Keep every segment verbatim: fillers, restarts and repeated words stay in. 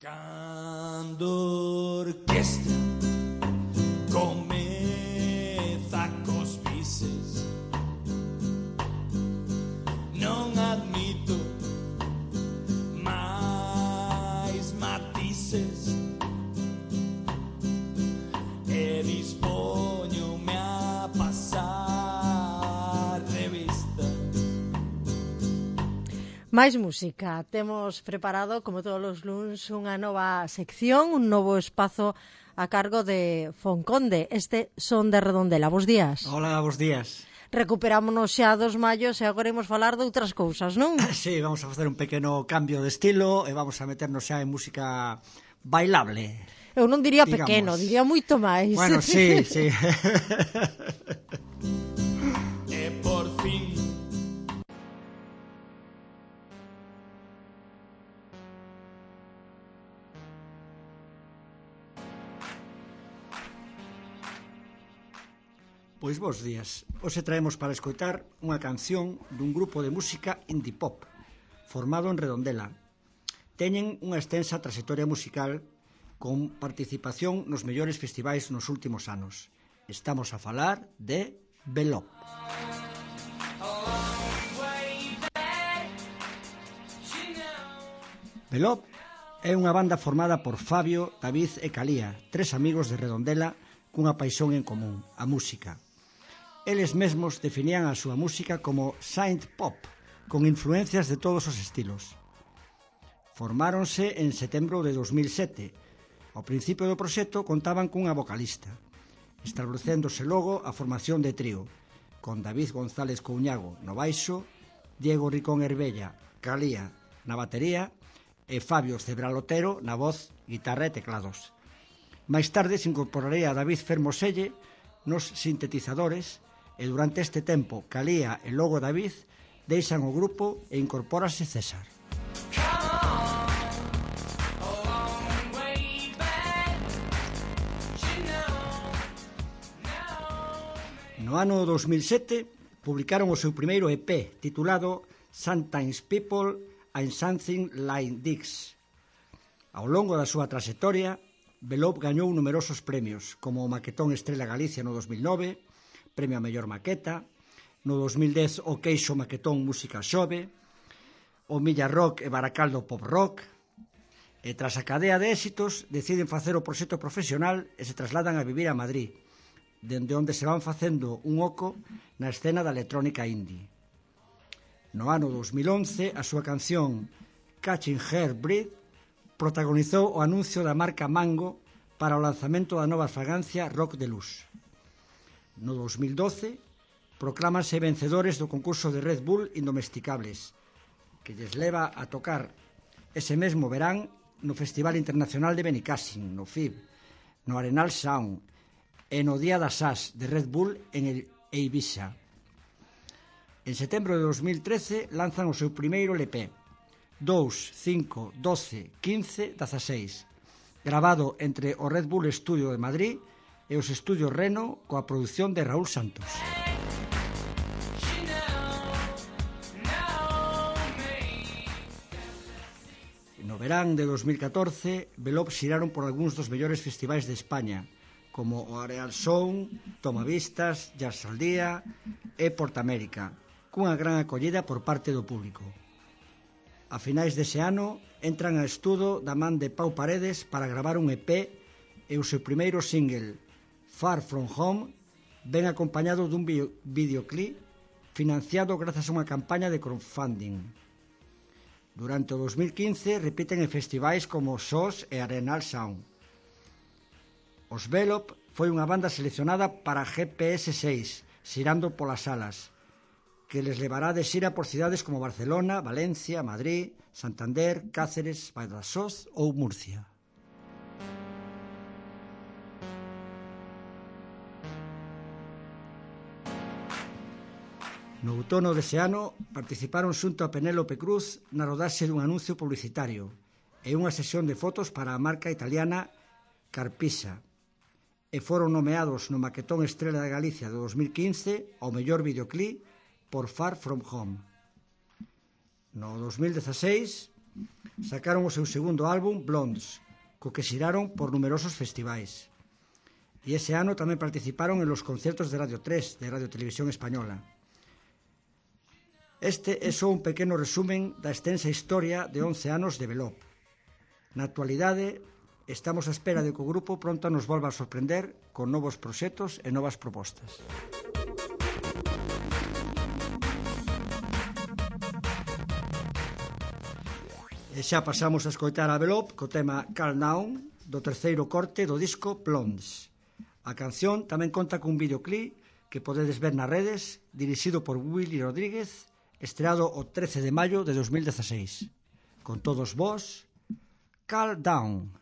Cando orquestra comeza cos bises, non admito máis matices e dispoñome a pasar revista. Máis música. Temos preparado, como todos os luns, unha nova sección, un novo espazo a cargo de Fonconde. Este Son de Redondela. Bos días. Hola, bos días. Recuperámonos xa dos mallos e agora imos falar de outras cousas, non? Sí, vamos a facer un pequeno cambio de estilo e vamos a meternos xa en música bailable. Eu non diría digamos. pequeno, diría moito máis. Bueno, sí, sí. E por fin Pois bos días. Hoxe traemos para escoitar unha canción dun grupo de música indie pop formado en Redondela. Teñen unha extensa trayectoria musical con participación nos mellores festivais nos últimos anos. Estamos a falar de Belop. Belop é unha banda formada por Fabio, David e Calía, tres amigos de Redondela cunha paixón en común, a música. Eles mesmos definían a súa música como synth pop, con influencias de todos os estilos. Formáronse en setembro de dos mil sete. Ao principio do proxecto contaban cunha vocalista, establecéndose logo a formación de trío, con David González Couñago no baixo, Diego Ricón Herbella, Calía na batería e Fabio Cebralotero na voz, guitarra e teclados. Máis tarde se incorporaría a David Fermoselle nos sintetizadores e durante este tempo Calía e logo David deixan o grupo e incorpórase César. No ano dos mil sete publicaron o seu primeiro E P titulado Sometimes People and Something Like This. Ao longo da súa traxectoria, Belop gañou numerosos premios, como o Maquetón Estrela Galicia no dos mil nove, Premio a Mellor Maqueta, no dos mil dez o Queixo Maquetón Música Xove, o Milla Rock e Baracaldo Pop Rock, e tras a cadea de éxitos deciden facer o proxecto profesional e se trasladan a vivir a Madrid, dende onde se van facendo un oco na escena da electrónica indie. No ano dos mil once, a súa canción Catching Her Breath protagonizou o anuncio da marca Mango para o lanzamento da nova fragancia Rock de Luz. No dos mil doce, proclámanse vencedores do concurso de Red Bull Indomesticables, que lles leva a tocar ese mesmo verán no Festival Internacional de Benicàssim, no F I B, no Arenal Sound e no Día das As de Red Bull en Eivisa. En setembro de dos mil trece lanzan o seu primeiro L P, dous, cinco, doce, quince, dezaseis, gravado entre o Red Bull Studio de Madrid e os estudios Reno coa produción de Raúl Santos. No verán de dos mil catorce, Belop xiraron por algúns dos mellores festivais de España, como o Areal Sound, Tomavistas, Jazz al Día e Portamérica, cunha gran acollida por parte do público. A finais dese ano, entran a estudo da man de Pau Paredes para gravar un E P e o seu primeiro single, Far From Home, ven acompañado dun videoclip financiado grazas a unha campaña de crowdfunding. Durante o dos mil quince repiten en festivais como S O S e Arenal Sound. Os Belop foi unha banda seleccionada para G P S seis, xirando polas salas, que les levará de xira por cidades como Barcelona, Valencia, Madrid, Santander, Cáceres, Badajoz ou Murcia. No outono dese ano participaron xunto a Penélope Cruz na rodaxe dun anuncio publicitario e unha sesión de fotos para a marca italiana Carpisa, e foron nomeados no Maquetón Estrela de Galicia de dos mil quince ao mellor videoclip por Far From Home. No dos mil dezaseis Sacaron o seu segundo álbum, Blondes, co que xiraron por numerosos festivais. E ese ano tamén participaron en los concertos de Radio tres, de Radio Televisión Española. Este é só un pequeno resumen da extensa historia de once anos de Velop. Na actualidade, estamos á espera de que o grupo pronto nos volva a sorprender con novos proxectos e novas propostas. E xa pasamos a escoitar a Velop co tema Calm Down do terceiro corte do disco Blondes. A canción tamén conta cun videoclip que podedes ver nas redes, dirixido por Willy Rodríguez, estreado o trece de maio de dos mil dieciséis. Con todos vós, Calm Down.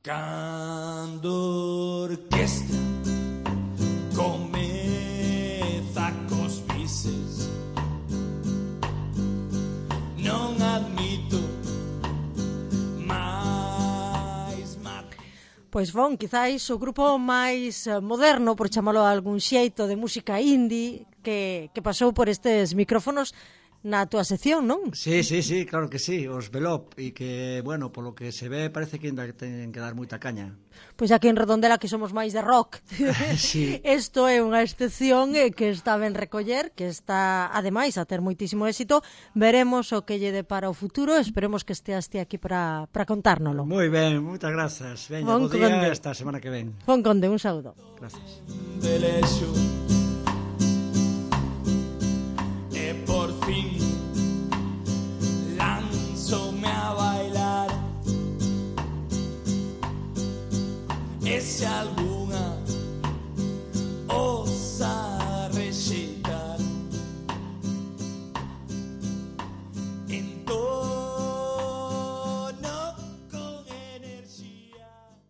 Cando orquesta comeza cos bises, non admito máis mat... Pois bon, quizáis o grupo máis moderno, por chamalo a algún xeito, de música indie que, que pasou por estes micrófonos na túa sección, non? Sí, sí, sí, claro que sí, os Velop, e que, bueno, polo que se ve parece que ainda ten que dar moita caña. Pois aquí en Redondela que somos máis de rock. Sí. Isto é unha excepción eh, que está ben recoller, que está, ademais, a ter moitísimo éxito. Veremos o que lle depara o futuro, esperemos que esteas ti aquí para para contárnolo. Moi ben, moitas grazas. Veña, Bon bo día, Conde. esta semana que ven. Fon Conde, un saúdo. Gracias. de lexo. E por fin lanzoume a bailar. Ese algún